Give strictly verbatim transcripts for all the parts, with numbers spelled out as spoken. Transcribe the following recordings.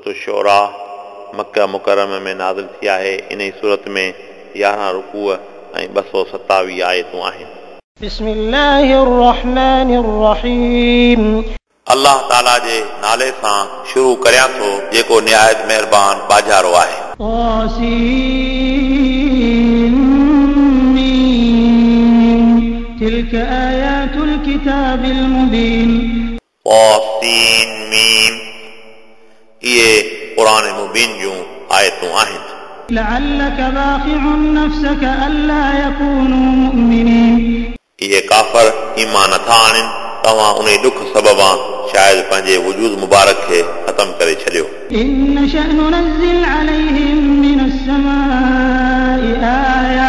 सूरत शोरा मक्का मुकर्रम में नाज़िल थी आहे। इन सूरत में यारहं रुकूअ ऐं ॿ सौ सतावीह आयतूं आहिनि। बिस्मिल्लाहिर रहमानिर रहीम। अल्लाह ताला जे नाले सां शुरू करियां थो जेको निहायत महिरबान बाजारो आहे। तासीन तिल्क आयातुल किताबिल मुबीन। तासीन मीम इहे क़ुरान मुबीन जूं आयतूं आहिनि। लअल्लक बाखिउन नफ्सक अल्ला यकूनू मुमिनीन। इहे काफ़र ईमान नथा आणनि, तव्हां उन ॾुख सबबां शायदि पंहिंजे वजूद मुबारक खे ख़तम करे छॾियो। इन नशअ नुनज़्ज़िल अलैहिम मिनस समाइ आया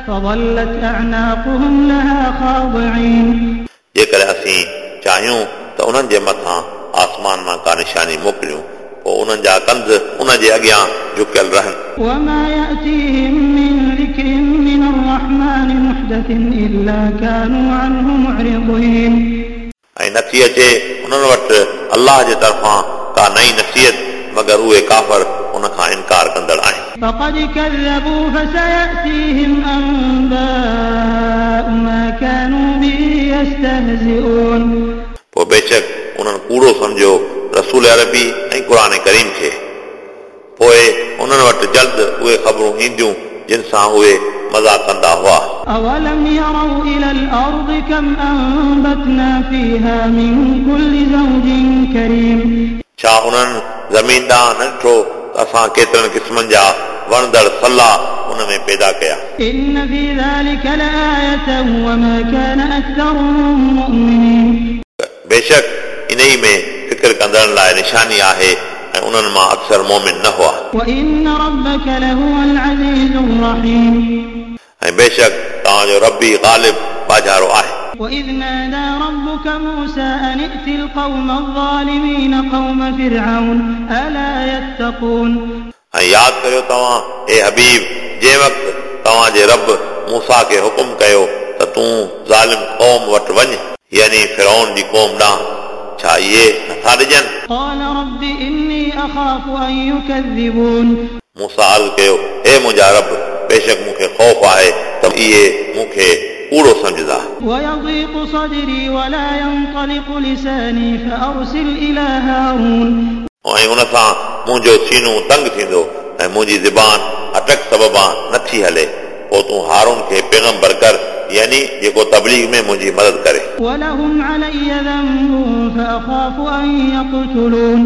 फज़ल्लत अअनाकुहुम लहा ख़ादिईन। जेकॾहिं असीं चाहियूं त उन्हनि जे मथां आसमान मां का निशानी मोकिलियूं, पोइ उन्हनि जा कंध उन जे अॻियां झुकियल रहनि। वमा यातीहिम मिन ज़िक्रिन मिनर रहमान मुहदसिन इल्ला कानू अन्हु मुअरिदीन। ऐं नथी अचे उन्हनि वटि अल्लाह जे तरफ़ां का नई नसीहत, मगर उहे काफ़र उन खां इनकार कंदड़ आहिनि। फ़क़द कज़्ज़बू फ़सयअतीहिम अंबाउ मा कानू बिही यस्तहज़िऊन। पोइ बेशक उन्हनि कूड़ो सम्झियो रसूल अरबी ऐं क़ुरान करीम खे, पोइ उन्हनि वटि जल्द उहे ख़बरूं ईंदियूं जिन सां उहे मज़ा कंदा हुआ। अवलम यरौ इलल अर्दि कम अंबतना फीहा मिन कुल्लि ज़ौजिन करीम। छा उन्हनि ज़मीन ॾांहुं न ॾिठो त असां केतिरनि क़िस्मनि जा वणंदड़ सला उन में पैदा कया। इन्न फी ज़ालिका लआयतन वमा कान अक्सरुहुम मुमिनीन। बेशक इन ई में फ़िक्र कंदड़नि लाइ निशानी आहे ऐं उन्हनि मां अक्सर मोमिन न हुआ। वइन्न रब्बक लहुवल अज़ीज़ुर रहीम। ऐं बेशक तव्हांजो रबी ग़ालिब बाजारो आहे। वइज़ नादा रब्बुक मूसा अन इअतिल क़ौम अज़-ज़ालिमीन क़ौम फ़िरऔन अला यत्तक़ून। ऐं यादि करियो तव्हां ए हबीब, जंहिं वक़्तु तव्हांजे रब मूसा खे हुकुम कयो त तूं ज़ालिम क़ौम वटि वञ, यानी फ़िरऔन जी क़ौम ॾांहुं, छा इहे नथा ॾिजनि? क़ाल रब्बि इन्नी अख़ाफ़ु अन युकज़्ज़िबून। मूसा अर्ज़ कयो, हे मुंहिंजा रब, बेशक मूंखे ख़ौफ़ आहे त इहे मूंखे कूड़ो सम्झंदा। वयज़ीक़ु सदरी वला यंतलिक़ु लिसानी फ़अरसिल इला हारून। ऐं उन सां मुंहिंजो सीनो तंग थींदो ऐं मुंहिंजी ज़बान अटक सबबां नथी हले, पोइ तूं हारून खे पैगंबर कर, यानी जेको तबलीग में मुंहिंजी मदद करे। वलहुम अलय्य ज़ंबुन फ़अख़ाफ़ु अन यक़्तुलून।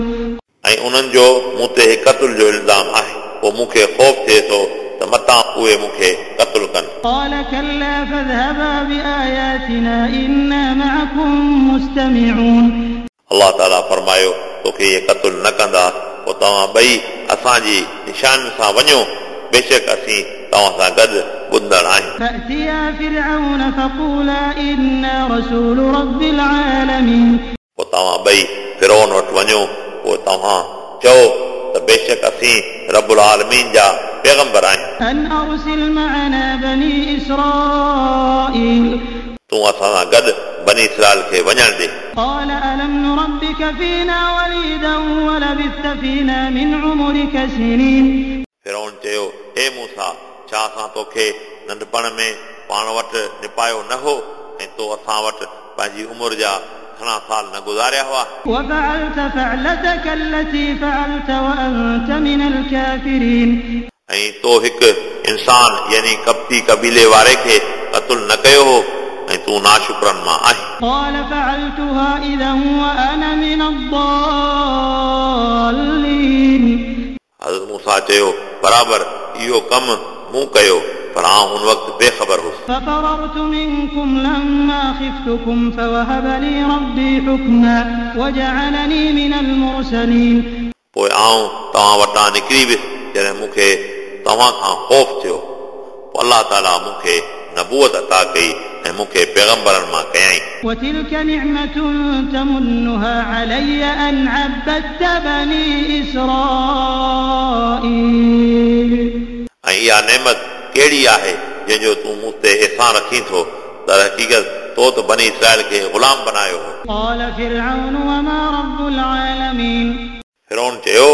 ऐं उन्हनि जो मूं ते क़त्ल जो इल्ज़ाम आहे, पोइ मूंखे ख़ौफ़ थिए थो त मतां उहे मूंखे क़त्ल कनि। क़ाल कल्ला फ़ज़हबा बिआयातिना इन्ना मअकुम मुस्तमिऊन। अल्लाह ताला फरमायो, तोखे इहे क़त्ल न कंदा, पोइ तव्हां ॿई असांजी निशान सां वञो, बेशक असीं तव्हां सां गॾु ॿुधंदड़ आहियूं। फ़अतिया फ़िरऔन फ़क़ूला इन्ना रसूल रब्बिल आलमीन। पोइ तव्हां ॿई फ़िरऔन वटि वञो, पोइ तव्हां चओ त बेशक असीं रबुल आलमीन जा पैगंबर आहियूं। अन अरसिल मअना बनी इसराईल। तूं असां सां गॾु बनी इसराईल खे वञण ॾे। क़ाल अलम नुरब्बिक फ़ीना वलीदन वलबिस्त फ़ीना मिन उमरिक सिनीन। फ़िरऔन चयो, हे मूसा, छा असां तोखे नंढपण में पाण वटि निपायो न हो ऐं तो असां वटि पंहिंजी उमिरि जा घणा साल न गुज़ारिया हुआ? वफ़अलत फ़अलतक अल्लती फ़अलत वअंत मिनल काफ़िरीन। ऐं तो हिकु इंसान यानी कब्ती कबीले वारे खे क़त्ल न कयो हो ऐं तूं नाशुक्रनि मां आहीं। क़ाल फ़अलतुहा इज़न वअना मिनल-ज़ाल्लीन। हज़रत मूसा चयो, बराबरि इहो कमु मूं कयो, पर आउं उन वक़्तु बेख़बर हुउसि। फ़फ़ररतु मिनकुम लम्मा ख़िफ़्तुकुम फ़वहब ली रब्बी हुक्मन वजअलनी मिनल मुरसलीन। पोइ आउं तव्हां वटां निकिरी वियुसि जॾहिं मूंखे तव्हां खां ख़ौफ़ थियो, पोइ अल्लाह ताला मूंखे नबूअत अता कई ऐं मूंखे पैगंबरनि मां कयाईं। वतिल्क निअमतुन तमुन्नुहा अलय्य अन अब्बदत बनी इसराईल। ऐं इहा नेमत कहिड़ी आहे जंहिंजो तूं मूं ते अहसान रखीं थो? दर हक़ीक़त तो त बनी इसराईल खे ग़ुलाम बनायो हो। क़ाल फ़िरऔन वमा रब्बुल आलमीन। फ़िरऔन चयो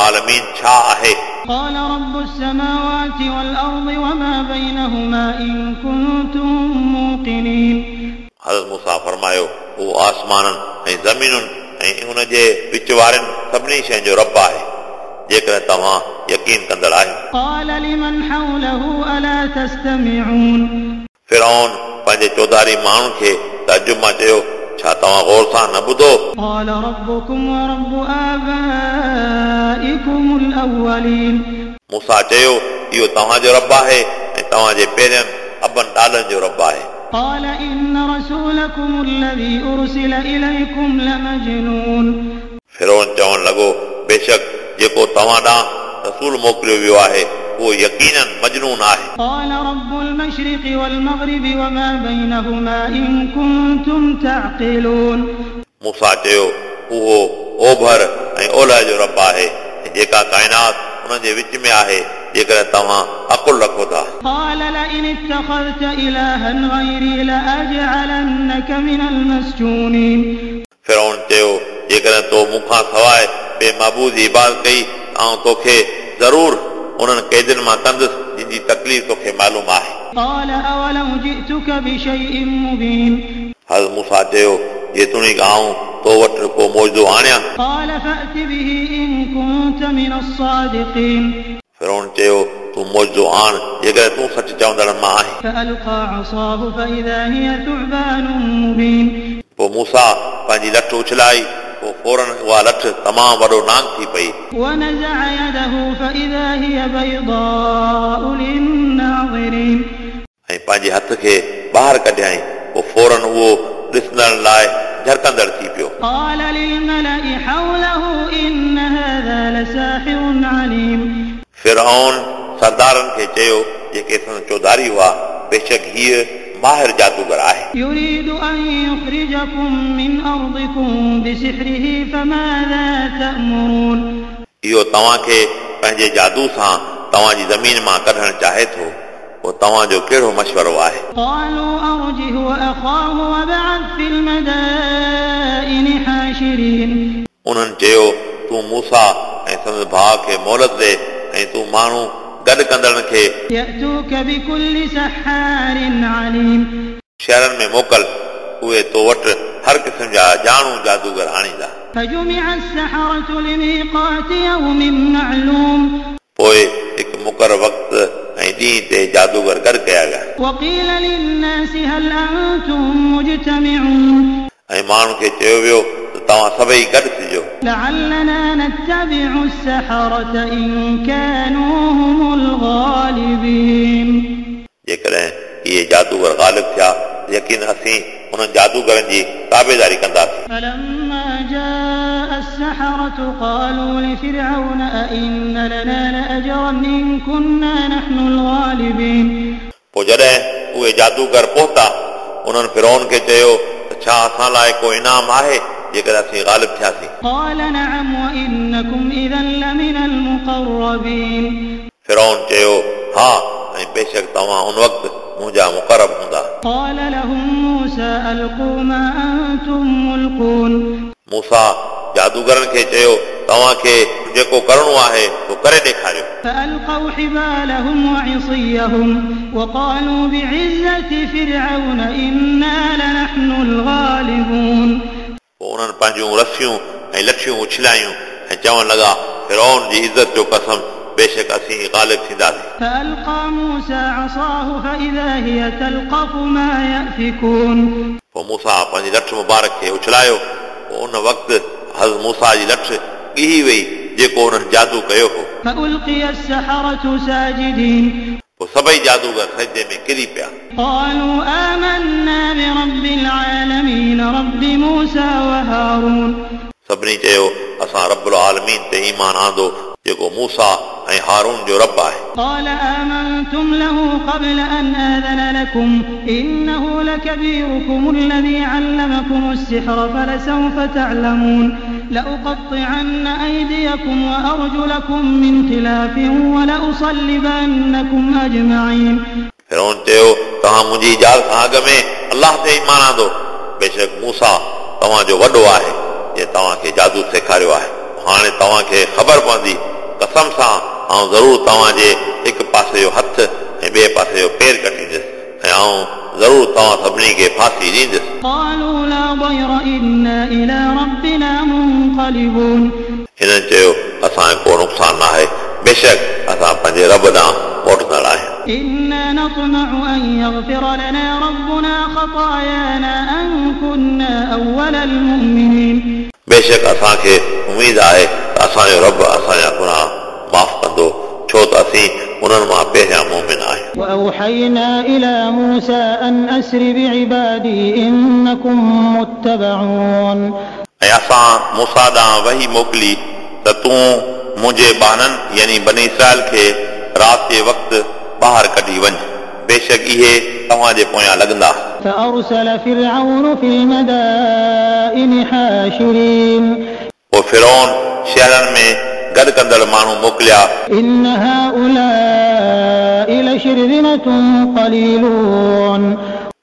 العالمين छा आहे? قال رب السماوات والأرض وما بينهما إن كنتم موقنين. हज़रत मूसा फरमायो, उहो आसमाननि ऐं ज़मीनुनि ऐं उन जे विच वारनि सभिनी शयुनि जो रब आहे, जेकॾहिं तव्हां यकीन कंदड़ आहियो। قال لمن حوله ألا تستمعون. फिरौन पंहिंजे चौधारी माण्हुनि खे तअजुब मां चयो, छा तव्हां गौर सां न ॿुधो? قال ربكم ورب آبائكم الأولين. मूसा चयो, इहो तव्हांजो रब आहे ऐं तव्हांजे पहिरियनि अबनि ॾाॾनि जो रब आहे। قال إن رسولكم الذي أرسل إليكم لمجنون. फिरौन चवणु लॻो, बेशक जेको तव्हां ॾांहुं रसूल मोकिलियो वियो आहे उहो यकीनन मजनून आहे। قال رب المشرق والمغرب وما بينهما إن كنتم تعقلون. मूसा चयो, उहो ओभर ऐं ओलह जो रब आहे ऐं जेका काइनात उन जे विच में आहे, जेकॾहिं तव्हां अकुल रखो था। قال لئن اتخذت إلها غيري لأجعلنك من المسجونين. फिरौन चयो, जेकॾहिं तो मूंखां सवाइ ॿिए महबूद जी इबादत कई, आउं तोखे ज़रूर उन्हनि क़ैदियुनि मां कंदुसि जिन जी तकलीफ़ तोखे मालूम आहे। قال أولو جئتك بشيء مبين. हज़रत मूसा चयो, जेतोणीकि आउं तो वटि को मौजूदो आणियां। قال فأت به إن كنت من الصادقين. फिरौन चयो, तूं मौजूदो आण जेकॾहिं तूं सच चवंदड़नि मां आहीं। فألقى عصاه فإذا هي ثعبان مبين. पोइ मूसा पंहिंजी लठ उछलाई, पोइ फ़ौरन उहा लठ तमामु वॾो नांग थी पई। ونزع يده فإذا هي بيضاء للناظرين. ऐं पंहिंजे हथ खे ॿाहिरि कढियाईं, पोइ फ़ौरन उहो ॾिसंदड़ लाइ झरकंदड़ थी पियो। قال للملأ حوله إن هذا لساحر عليم. फिरौन सरदारनि खे चयो, जेके संदसि चौधारी हुआ, बेशक हीअ माहिर जादूगर आहे। يريد أن يخرجكم من أرضكم بسحره فماذا تأمرون. इहो तव्हांखे पंहिंजे जादू सां तव्हांजी ज़मीन मां कढणु चाहे थो, पोइ तव्हांजो कहिड़ो मशवरो आहे? قالوا أرجه وأخاه وابعث في المدائن حاشرين. उन्हनि चयो, तूं मूसा ऐं संदसि भाउ खे मोहलत ॾे ऐं तूं माण्हू गॾु कंदड़नि खे يأتوك بكل سحار عليم. शहरनि में मोकल, उहे तो वटि हर क़िस्म जा ॼाणू जादूगर आणींदा। فجمع السحرة لميقات يوم معلوم. पोइ हिकु मुक़ररु वक़्तु ऐं ॾींहं ते जादूगर गॾु कया विया। وقيل للناس هل أنتم مجتمعون. ऐं माण्हुनि खे चयो वियो त तव्हां सभई गॾु थिजो। لعلنا نتبع السحرة إن كانوا هم الغالبين. जेकॾहिं इहे जादूगर ग़ालिब थिया, यकीन असीं उन्हनि जादूगरनि जी ताबेदारी कंदासीं। فلما جاء السحرة قالوا لفرعون أئن لنا لأجرا إن كنا نحن الغالبين. पोइ जॾहिं उहे जादूगर पहुता, उन्हनि फिरौन खे चयो त छा असां लाइ को इनाम आहे जेकॾहिं असीं ग़ालिब थियासीं? قال نعم وإنكم إذا لمن المقربين. फिरौन चयो, हा, ऐं बेशक तव्हां उन वक़्तु मुंहिंजा मुक़रब हूंदा। قال لهم موسى ألقوا ما أنتم ملقون. मूसा जादूगरनि खे चयो, तव्हांखे जेको करिणो आहे उहो करे ॾेखारियो। فألقوا حبالهم وعصيهم وقالوا بعزة فرعون إنا لنحن الغالبون. पोइ उन्हनि पंहिंजूं रसियूं ऐं लठियूं उछलायूं ऐं चवणु लॻा, फिरौन जी इज़त जो कसम, बेशक असीं ग़ालिब थींदासीं। فألقى موسى عصاه فإذا هي تلقف ما يأفكون. पोइ मूसा पंहिंजी लठ मुबारक खे उछलायो, पोइ उन वक़्तु हज़रत मूसा जी लठ ॻिही वई जेको उन्हनि जादू कयो हो। فألقي السحرة ساجدين. पोइ सभई जादूगर सजदे में किरी पिया। قالوا آمنا برب العالمين رب موسى وهارون. सभिनी चयो, असां रबुल आलमीन ते ईमान आंदो जेको मूसा ऐं हारून जो रब आहे। قال آمنتم له قبل أن آذن لكم إنه لكبيركم الذي علمكم السحر فلسوف تعلمون لأقطعن أيديكم وأرجلكم من خلاف ولأصلبنكم أجمعين. फिरौन चयो, तव्हां मुंहिंजी इजाज़त खां अॻु में अलाह ते ईमान आंदो, बेशक मूसा तव्हांजो वॾो आहे जंहिं तव्हांखे जादू सेखारियो आहे। हाणे तव्हांखे ख़बर पवंदी कसम सां आउं ज़रूर तव्हांजे हिकु पासे जो हथु ऐं ॿिए पासे जो पेर कटींदुसि ऐं आउं ज़रूर तव्हां सभिनी खे फांसी ॾींदुसि। قالوا لا ضير إنا إلى ربنا منقلبون। हिननि चयो असांजो को नुक़सानु न आहे, बेशक असां पंहिंजे रब ॾांहुं मोटंदड़ आहियूं। إنا نطمع أن يغفر لنا ربنا خطايانا أن كنا أول المؤمنين। बेशक असांखे उमेद आहे त असांजो रब असांजा गुनाह माफ़ कंदो, छो त असीं उन्हनि मां पहिरियां मोमिन आहियूं। وأوحينا إلى موسى أن أسر بعبادي إنكم متبعون। ऐं असां मूसा ॾांहुं वही मोकिली त तूं मुंहिंजे ॿारनि यानी बनी इसराइल खे राति जे वक़्तु ॿाहिरि कढी वञ, बेशक इहे तव्हांजे पोयां लॻंदा। فأرسل فرعون في المدائن حاشرين। पोइ फिरौन शहरनि में गॾु कंदड़ माण्हू मोकिलिया। إن هؤلاء لشرذمة قليلون।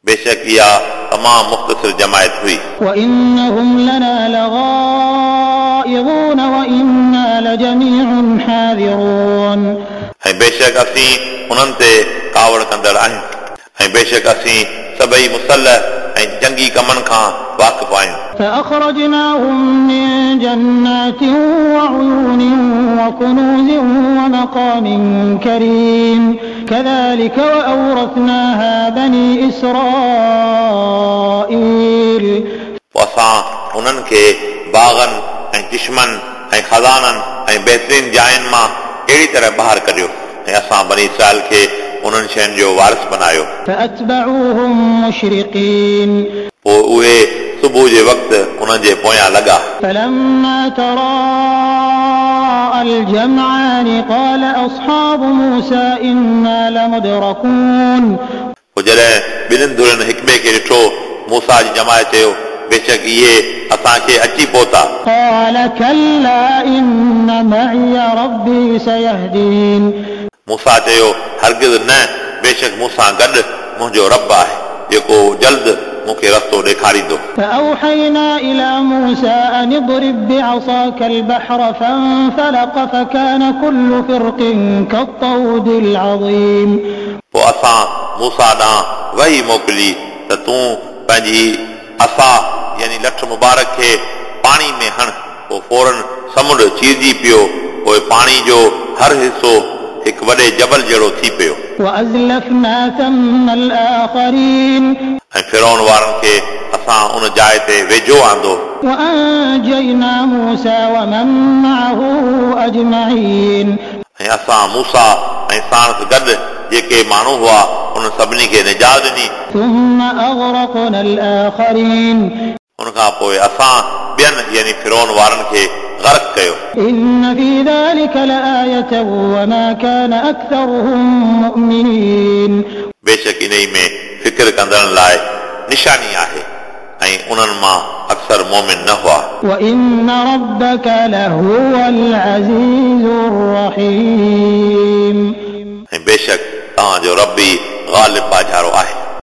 बेशक इहा तमामु मुख़्तसिर जमायत हुई। وإنهم لنا لغائظون وإنا لجميع حاذرون। ऐं बेशक असीं उन्हनि ते कावड़ कंदड़ आहियूं ऐं बेशक असीं सभई मुसल्ह ऐं जंगी कमनि खां वाक़िफ़ आहियूं। فأخرجناهم من جنات وعيون وكنوز ومقام كريم كذلك وأورثناها بني إسرائيل। पोइ असां उन्हनि खे बाग़नि ऐं चिश्मनि ऐं ख़ज़ाननि ऐं बहितरीन जायुनि मां अहिड़ी तरह ॿाहिरि कढियो ऐं असां बनी इसराइल खे उन्हनि शयुनि जो वारिस बनायो। فأتبعوهم مشرقين। पोइ उहे सुबुह जे वक़्तु उन्हनि जे पोयां लॻा। فلما تراءى الجمعان قال أصحاب موسى إنا لمدركون। पोइ जॾहिं ॿिन्हिनि धुरनि हिक ॿिए खे ॾिठो, मूसा जी जमायत चयो बेशक इहे असांखे अची पहुता। قال كلا إن معي ربي سيهدين। मूसा चयो हरगिज़ न, बेशक मूंसां गॾु मुंहिंजो रब आहे जेको जल्द मूंखे रस्तो ॾेखारींदो। فأوحينا إلى موسى أن اضرب بعصاك البحر فانفلق فكان كل فرق كالطود العظيم। पोइ असां मूसा ॾांहुं वही मोकिली त तूं पंहिंजी असा यानी लठ मुबारक खे पाणी में हण, पोइ फ़ौरन समुंड चीरजी पियो, पोइ पाणी जो हर हिसो हिकु वॾे जबल जहिड़ो थी पियो। وأزلفنا ثم الآخرين। ऐं फिरौन वारनि खे असां उन जाइ ते वेझो आंदो। وأنجينا موسى ومن معه أجمعين। ऐं असां मूसा ऐं साणसि गॾु जेके माण्हू हुआ उन सभिनी खे निजात ॾिनी। ثم أغرقنا الآخرين। उन खां पोइ असां ॿियनि यानी फिरौन वारनि खे गर्क कयो। إن في ذلك لآية وما كان أكثرهم مؤمنين। बेशक इन में फ़िक्र कंदड़नि लाइ निशानी आहे ऐं उन्हनि मां अक्सर मोमिन न हुआ। وإن ربك لهو العزيز الرحيم। ऐं बेशक तव्हांजो रब ई ग़ालिब बाजारो आहे।